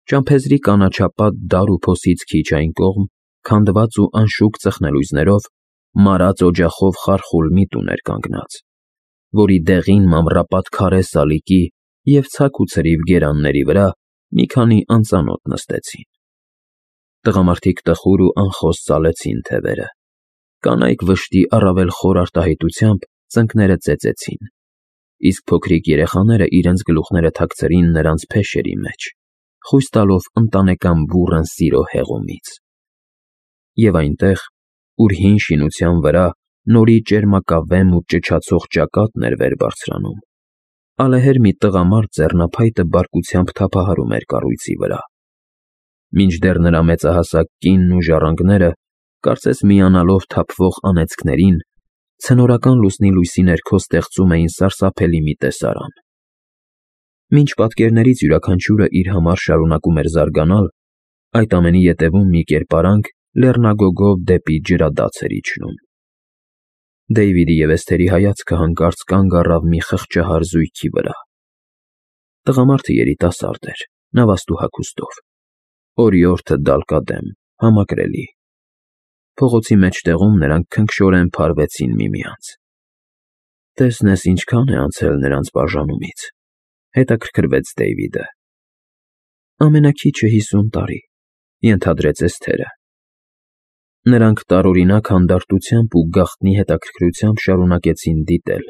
Ճամփեզրի կանաչապատ դար ու փոսից քիչ այն կողմ, քանդված ու անշուք ծխնելույզներով, մարած օջախով խարխուլ մի տուն էր կանգնած, որի դեղին մամռապատ քարե սալիկի և ցակ ու ցրիվ գերանների վրա մի քանի անծանոթ նստեցին։ Տղամարդիկ տխուր ու անխոս ծալեցին թևերը, կանայք վշտի առավել խոր արտահայտությամբ ծնկները ծեծեցին, իսկ փոքրիկ երեխաները իրենց գլուխները թաքցրին նրանց փեշերի մեջ, խույս տալով ընտանեկան բուռն սիրո հեղումից։ Եվ այնտեղ, ուր հին շինության վրա նորի ճերմակավեմ ու ճչացող ճակատն էր վեր բարձրանում, ալեհեր մի տղամարդ ձեռնափայտը բարկությամբ թափահարում էր կառույցի վրա, մինչդեռ նրա մեծահասակ կինն ու ժառանգները, կարծես միանալով թափվող անեծքներին, ցնորական լուսնի լույսի ներքո ստեղծում էին սարսափելի մի տեսարան։ Մինչ պատկերներից յուրաքանչյուրը իր համար շարունակում էր զարգանալ, այդ ամենի ետևում մի կերպարանք լեռնագոգով դեպի ջրադաց էր իջնում։ Դեյվիդի և Էսթերի հայացքը հանկարծ կանգ առավ մի խղճահար զույգի վրա։ Տղամարդը երիտասարդ էր, նավաստու հագուստով, օրիորդը դալկադեմ, համակրելի։ Փողոցի մեջտեղում նրանք քնքշորեն փարվեցին միմյանց։ «Տեսնես ինչքան է անցել նրանց բաժանումից», հետաքրքրվեց Դեյվիդը։ «Ամենաքիչը 50 տարի», ենթադրեց Էսթերը։ Նրանք տարօրինակ հանդարտությամբ ու գաղտնի հետաքրքրությամբ շարունակեցին դիտել,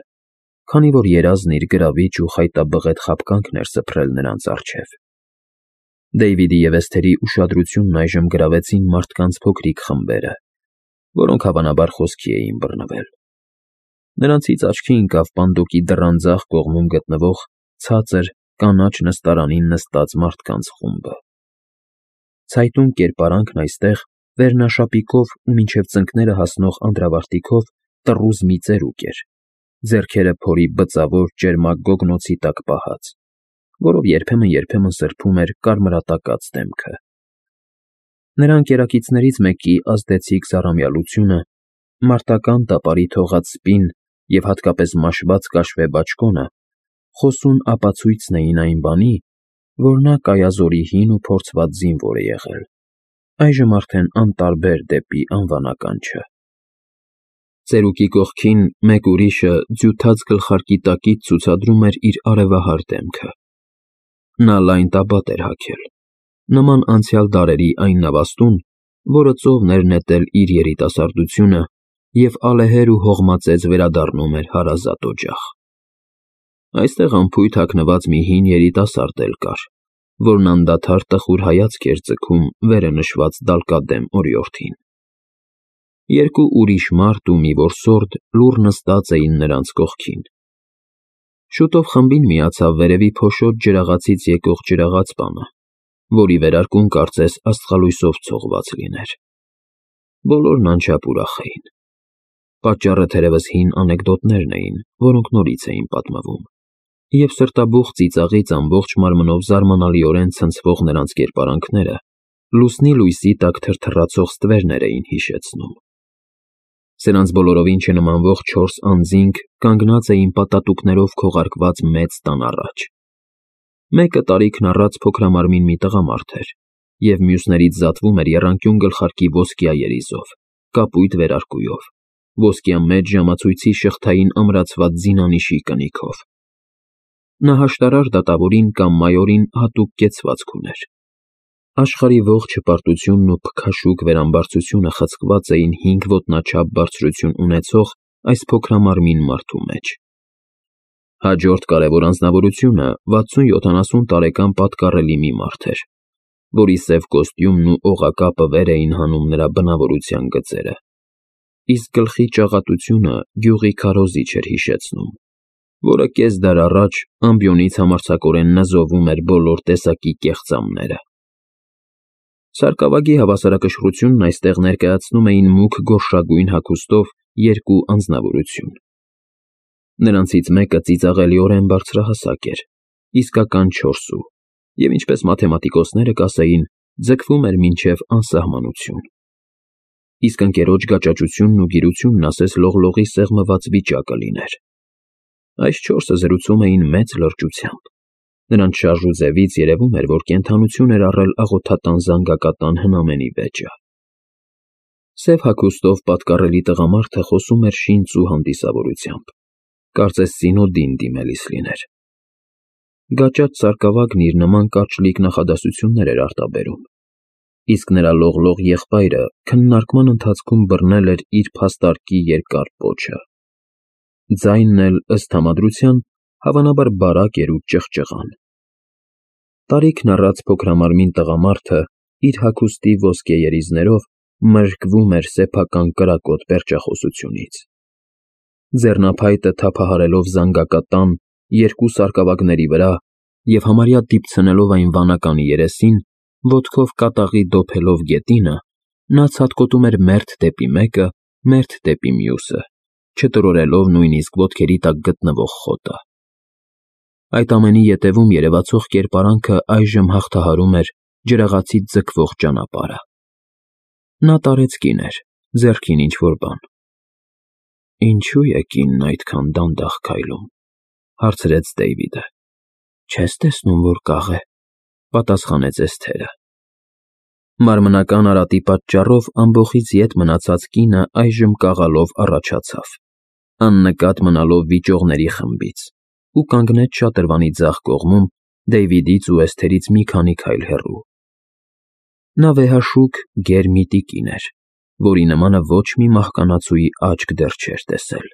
քանի որ երազն իր գրավիչ ու խայտաբղետ խաբկանքն էր սփռել նրանց առջև։ Դեյվիդի և Էսթերի ուշադրությունն այժմ գրավեցին մարդկանց փոքրիկ խմբերը, որոնք հավանաբար խոսքի էին բռնվել։ Նրանցից աչքի ընկավ պանդոկի դռան ձախ կողմում գտնվող ցածր կանաչ նստարանին նստած մարդկանց խումբը։ Ցայտուն կերպարանքն այստեղ վերնաշապիկով ու մինչև ծնկները հասնող անդրավարտիքով տռուզ մի ծերուկ էր, ձեռքերը փորի բծավոր ճերմակ գոգնոցի տակ պահած, որով երբեմն սրբում էր կարմրատակած դեմքը։ Նրա ընկերակիցներից մեկի ազդեցիկ զառամյալությունը, մարտական տապարի թողած սպին և հատկապես մաշված կաշվե բաճկոնը խոսուն ապացույցն էին այն բանի, որ նա կայազորի հին ու փորձված զինվոր է եղել, այժմ արդեն անտարբեր դեպի անվանականչը։ Ծերուկի կողքին մեկ ուրիշը ձյութած գլխարկի տակից ցուցադրում էր իր արևահար դեմքը։ Նա լայն տաբատ էր հագել, նման անցյալ դարերի այն նավաստուն, որը ծովն էր նետել իր երիտասարդությունը և ալեհեր ու հողմածեծ վերադառնում էր հարազատ օջախ։ Այստեղ անփույթ հագնված մի հին երիտասարդ էլ կար, որն անդադար տխուր հայացք էր ձգում վերը նշված դալկադեմ օրիորդին։ Երկու ուրիշ մարդ ու մի որսորդ լուռ նստած էին նրանց կողքին։ Շուտով խմբին միացավ վերևի փոշոտ ջրաղացից եկող ջրաղացպանը, որի վերարկուն կարծես աստղալույսով ցողված լիներ։ Բոլորն անչափ ուրախ էին։ Պատճառը թերևս հին անեկդոտներն էին, որոնք նորից էին պատմվում, և սրտաբուխ ծիծաղից ամբողջ մարմնով զարմանալիորեն ցնցվող նրանց կերպարանքները լուսնի լույսի տակ թրթռացող ստվերներ էին հիշեցնում։ Սրանց բոլորովին չնմանվող 4 անձինք կանգնած էին պատատուկներով քողարկված մեծ տան առաջ։ Մեկը տարիքն առած փոքրամարմին մի տղամարդ էր, և մյուսներից զատվում էր եռանկյուն գլխարկի ոսկյա երիզով, կապույտ վերարկուով, ոսկյա մեծ ժամացույցի շղթային ամրացված զինանիշի կնիքով։ Նա հաշտարար դատավորին կամ մայորին հատուկ կեցվածք ուներ։ Աշխարհի ողջ հպարտությունն ու փքաշուկ վերամբարձությունը խցկված էին 5 ոտնաչափ բարձրություն ունեցող այս փոքրամարմին մարդու մեջ։ Հաջորդ կարևոր անձնավորությունը 60-70 տարեկան պատկառելի մի մարդ էր, որի սև կոստյումն ու օղակապը վեր էին հանում նրա բնավորության գծերը, իսկ գլխի ճաղատությունը գյուղի քարոզիչ էր հիշեցնում, որը կես դար առաջ ամբիոնից համարձակորեն նզովում էր բոլոր տեսակի կեղծամները։ Սարկավագի հավասարակշռությունն այստեղ ներկայացնում էին մուգ գորշագույն հագուստով 2 անձնավորություն։ Նրանցից մեկը ծիծաղելիորեն բարձրահասակ էր, իսկական 4 և ինչպես մաթեմատիկոսները կասեին, ձգվում էր մինչև անսահմանություն։ Իսկ ընկերոջ գաճաճությունն ու գիրությունն ասես լողլողի սեղմված վիճակը լիներ։ Այս 4-ը զրուցում էին մեծ լրջությամբ, Նրանց շարժուձևից երևում էր, որ կենդանություն էր առել աղոթատան զանգակատան հնամենի վեճը։ Սև հագուստով պատկառելի տղամարդը խոսում էր շինծ ու հանդիսավորությամբ, կարծես Զինոդին դիմելիս լիներ։ Գաճաճ սարկավագն իր նման կարճլիկ նախադասություններ էր արտաբերում, իսկ նրա լողլող եղբայրը քննարկման ընթացքում բռնել էր իր փաստարկի երկար պոչը։ Ձայնն էլ, ըստ համադրության, հավանաբար բարակ էր ու ճղճղան։ Տարիքն առած փոքրամարմին տղամարդը իր հագուստի ոսկե երիզներով մրկվում էր սեփական կրակոտ պերճախոսությունից։ Ձեռնափայտը թափահարելով զանգակատան երկու սարկավագների վրա և համարյա դիպցնելով այն վանականի երեսին, ոտքով կատաղի դոփելով գետինը, նա ցատկոտում էր մերթ դեպի մեկը, մերթ դեպի մյուսը, չտրորելով նույնիսկ ոտքերի տակ գտնվող խոտը։ Այդ ամենի ետևում երևացող կերպարանքը այժմ հաղթահարում էր ջրաղացից ձգվող ճանապարհը։ Նա տարեց կիներ, ձեռքին ինչ-որ բան։ «Ինչո՞ւ է կինն այդքան դանդաղ քայլում», հարցրեց Դեյվիդը։ «Չես տեսնում, որ կաղ է», պատասխանեց Էսթերը։ Մարմնական արատի պատճառով ամբոխից ետ մնացած կինը այժմ կաղալով առաջացավ, աննկատ մնալով վիճողների խմբից, ու կանգնեց շատրվանի ձախ կողմում Դեյվիդից ու Էսթերից մի քանի քայլ հեռու։ Նա վեհաշուք գեր մի տիկին էր, որի նմանը ոչ մի մահկանացուի աչք դեռ չէր տեսել։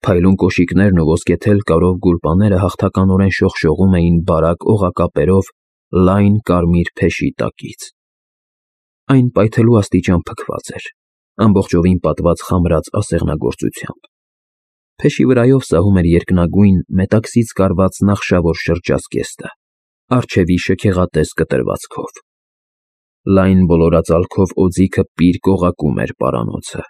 Փայլուն կոշիկներն ու ոսկեթել կարով գուլպաները հաղթականորեն շողշողում էին բարակ օղակապերով լայն կարմիր փեշի տակից։ Այն պայթելու աստիճան փքված էր, ամբողջովին պատված խամրած ասեղնագործությամբ։ Փեշի վրայով սահում էր երկնագույն մետաքսից կարված նախշավոր շրջազգեստը, առջևի շքեղատես կտրվածքով։ Լայն բոլորածալքով օձիքը պիրկ օղակում էր պարանոցը։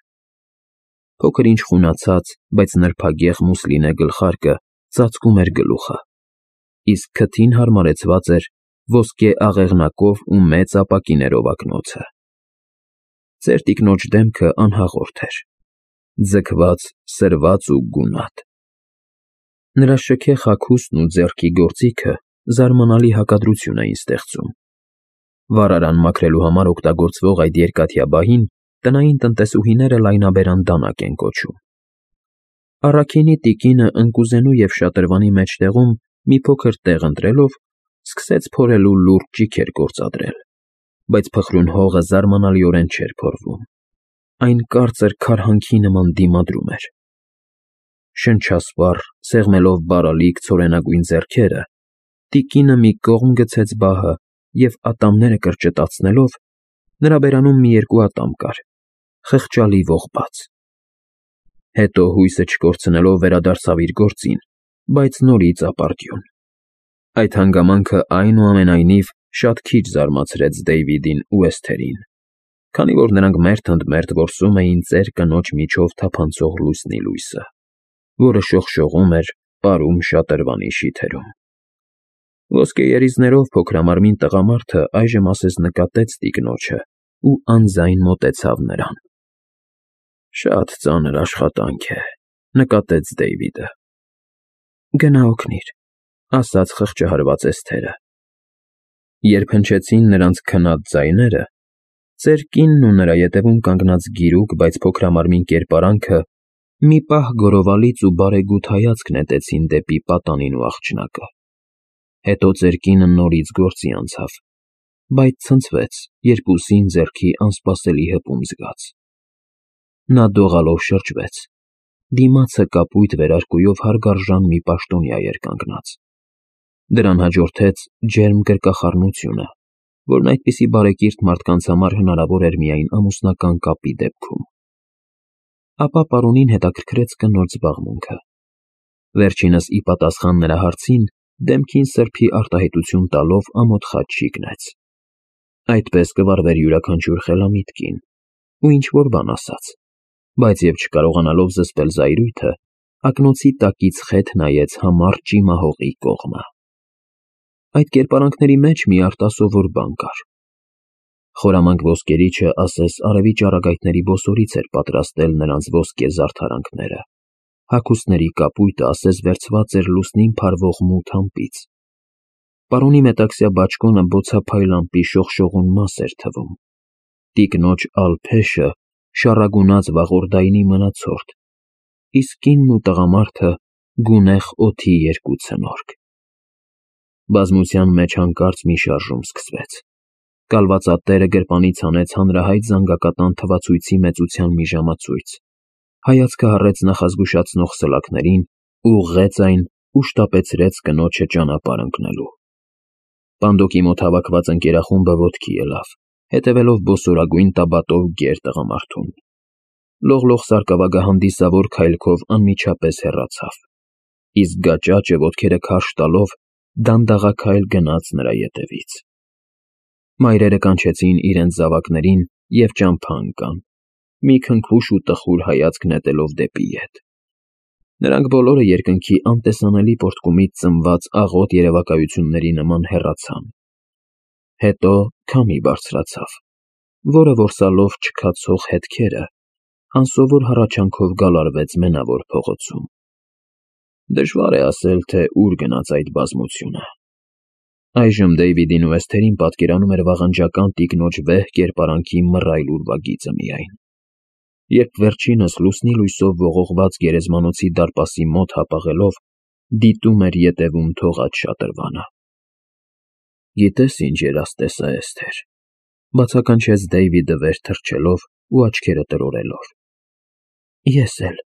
Փոքր-ինչ խունացած, բայց նրբագեղ մուսլինե գլխարկը ծածկում էր գլուխը, իսկ քթին հարմարեցված էր ոսկե աղեղնակով ու մեծ ապակիներով ակնոցը։ Ծեր տիկնոջ դեմքը անհաղորդ էր, ձգված, սրված ու գունատ։ Նրա շքեղ հագուստն ու ձեռքի գործիքը զարմանալի հակադրություն էին ստեղծում։ Վառարան մաքրելու համար օգտագործվող այդ երկաթյա բահին տնային տնտեսուհիները լայնաբերան դանակ են կոչում։ Առաքինի տիկինը ընկուզենու և շատրվանի մեջտեղում մի փոքր տեղ ընտրելով, սկսեց փորելու լուրջ ճիգեր գործադրել, բայց փխրուն հողը զարմանալիորեն չէր փորվում։ Այն կարծր քարհանքի նման դիմադրում էր։ Շնչասպառ, սեղմելով բարալիկ ցորենագույն ձեռքերը, տիկինը մի կողմ գցեց բահը և ատամները կրճտացնելով, նրա բերանում մի երկու ատամ կար, խղճալի ողբած։ Հետո հույսը չկորցնելով վերադարձավ իր գործին, բայց նորից ապարդյուն։ Այդ հանգամանքը այնուամենայնիվ շատ քիչ զարմացրեց Դեյվիդին ու Էսթերին, քանի որ նրանք մերթ ընդ մերթ որսում էին ծեր կնոջ միջով թափանցող լուսնի լույսը, որը շողշողում էր պարում շատրվանի շիթերում։ Ոսկե երիզներով փոքրամարմին տղամարդը այժմ ասես նկատեց տիկնոջը ու անձայն մոտեցավ նրան։ «Շատ ծանր աշխատանք է», նկատեց Դեյվիդը։ «Գնա օգնիր», ասաց խղճահարված Էսթերը։ Երբ հնչեցին նրանց քնած ձայները, ծեր կինն ու նրա ետևում կանգնած գիրուկ, բայց փոքրամարմին կերպարանքը մի պահ գորովալից ու բարեգութ հայացք նետեցին դեպի պատանին ու աղջնակը։ Հետո ծեր կինը նորից գործի անցավ, բայց ցնցվեց, երբ ուսին ձեռքի անսպասելի հպում զգաց։ Նա դողալով շրջվեց, դիմացը կապույտ վերարկուով հարգարժան մի պաշտոնյա էր կանգնած։ Դրան հաջորդեց ջերմ գրկախառնությունը, որն այդպիսի բարեկիրթ մարդկանց համար հնարավոր էր միայն ամուսնական կապի դեպքում։ Ապա պարոնին հետաքրքրեց կնոջ զբաղմունքը։ Վերջինս ի պատասխան նրա հարցին դեմքին սրբի արտահայտություն տալով ամոթ խաչ շիկնեց։ Այդպես կվարվեր յուրաքանչյուր խելամիտ կին, ու ինչ-որ բան ասաց, բայց և չկարողանալով զսպել զայրույթը, ակնոցի տակից խեթ նայեց համառ ճիմահողի կողմը։ Այդ կերպարանքների մեջ մի արտասովոր բան կար։ Խորամանկ ոսկերիչը ասես արևի ճառագայթների բոսորից էր պատրաստել նրանց ոսկե զարդարանքները, հագուստների կապույտը ասես վերցված էր լուսնին փարվող մութ ամպից, Պարոնի մետաքսյա բաճկոնը բոցափայլ ամպի շողշողուն մաս էր թվում, տիկնոջ ալփեշը շառագունած վաղորդայնի մնացորդ, իսկ կինն ու տղամարդը գունեղ օդի երկու ցնորք։ Բազմության մեջ հանկարծ մի շարժում սկսվեց։ Կալվածատերը գրպանից հանեց հանրահայտ զանգակատան թվացույցի մեծության մի ժամացույց, հայացքը հառեց նախազգուշացնող սլաքներին, ուղղեց այն ու շտապեցրեց կնոջը ճանապարհ ընկնելու։ Պանդոկի մոտ հավաքված ընկերախումբը ոտքի ելավ, հետևելով բոսորագույն տաբատով գեր տղամարդուն։ Լողլող սարկավագահանդիսավոր քայլքով անմիջապես հեռացավ, իսկ գաճաճը ոտքերը քարշ տալով դանդաղաքայլ գնաց նրա ետևից։ Մայրերը կանչեցին իրենց զավակներին և ճամփա ընկան, մի քնքուշ ու տխուր հայացք նետելով դեպի ետ։ Նրանք բոլորը երկնքի անտեսանելի պոռթկումից ծնված աղոտ երևակայությունների նման հեռացան։ Հետո քամի բարձրացավ, որը որսալով չքացող հետքերը անսովոր հառաչանքով գալարվեց մենավոր փողոցում։ Դժվար է ասել, թե ուր գնաց այդ բազմությունը։ Այժմ Դեյվիդին ու Էսթերին պատկերանում էր վաղնջական տիկնոջ վեհ կերպարանքի մռայլ ուրվագիծը միայն, երբ վերջինս լուսնի լույսով ողողված գերեզմանոցի դարպասի մոտ հապաղելով դիտում էր ետևում թողած շատրվանը։ Գիտես ինչ երաժշտես է, Էսթեր,֊ բացականչեց Դեյվիդը վեր թռչելով ու աչքերը տրորելով։ Ես էլ,֊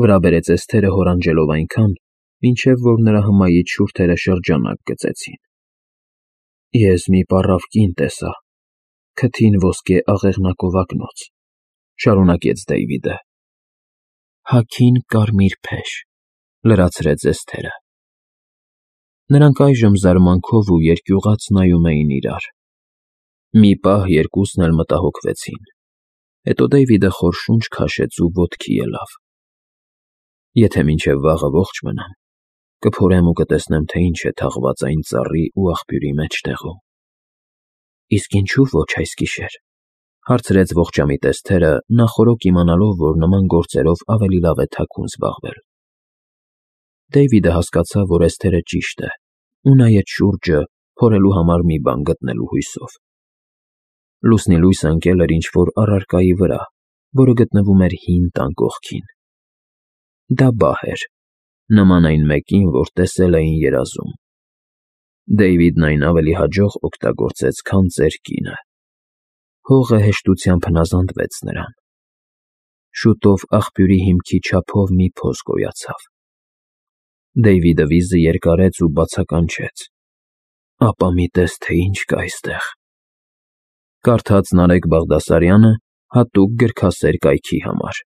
վրա բերեց Էսթերը հորանջելով այնքան, մինչև որ նրա հմայիչ շուրթերը շրջանակ գծեցին։ Ես մի պառավ կին տեսա, քթին ոսկե աղեղնակով ակնոց,֊ շարունակեց Դեյվիդը։ Հագին կարմիր փեշ,֊ լրացրեց Էսթերը։ Նրանք այժմ զարմանքով ու երկյուղած նայում էին իրար։ Մի պահ երկուսն էլ մտահոգվեցին, հետո Դեյվիդը խոր շունչ քաշեց ու ոտքի ելավ։ Եթե մինչև վաղը ողջ մնամ, կփորեմ ու կտեսնեմ, թե ինչ է թաղված այն ծառի ու աղբյուրի մեջտեղում։ Իսկ ինչու ոչ այս գիշեր,֊ հարցրեց ողջամիտ Էսթերը, նախօրոք իմանալով, որ նման գործերով ավելի լավ է թաքուն զբաղվել։ Դեյվիդը հասկացավ, որ Էսթերը ճիշտ է, ու նայեց շուրջը, փորելու համար մի բան գտնելու հույսով։ Լուսնի լույսը ընկել էր ինչ-որ առարկայի վրա, որը գտնվում էր հին տան կողքին։ Դա բահ էր, նման այն մեկին, որ տեսել էին երազում։ Դեյվիդն այն ավելի հաջող օգտագործեց, քան ծեր կինը։ Հողը հեշտությամբ հնազանդվեց նրան։ Շուտով աղբյուրի հիմքի չափով մի փոս գոյացավ։ Դեյվիդը վիզը երկարեց ու բացականչեց. Ապա մի տես, թե ինչ կա այստեղ։ Կարդաց Նարեկ Բաղդասարյանը հատուկ գրքասեր կայքի համար։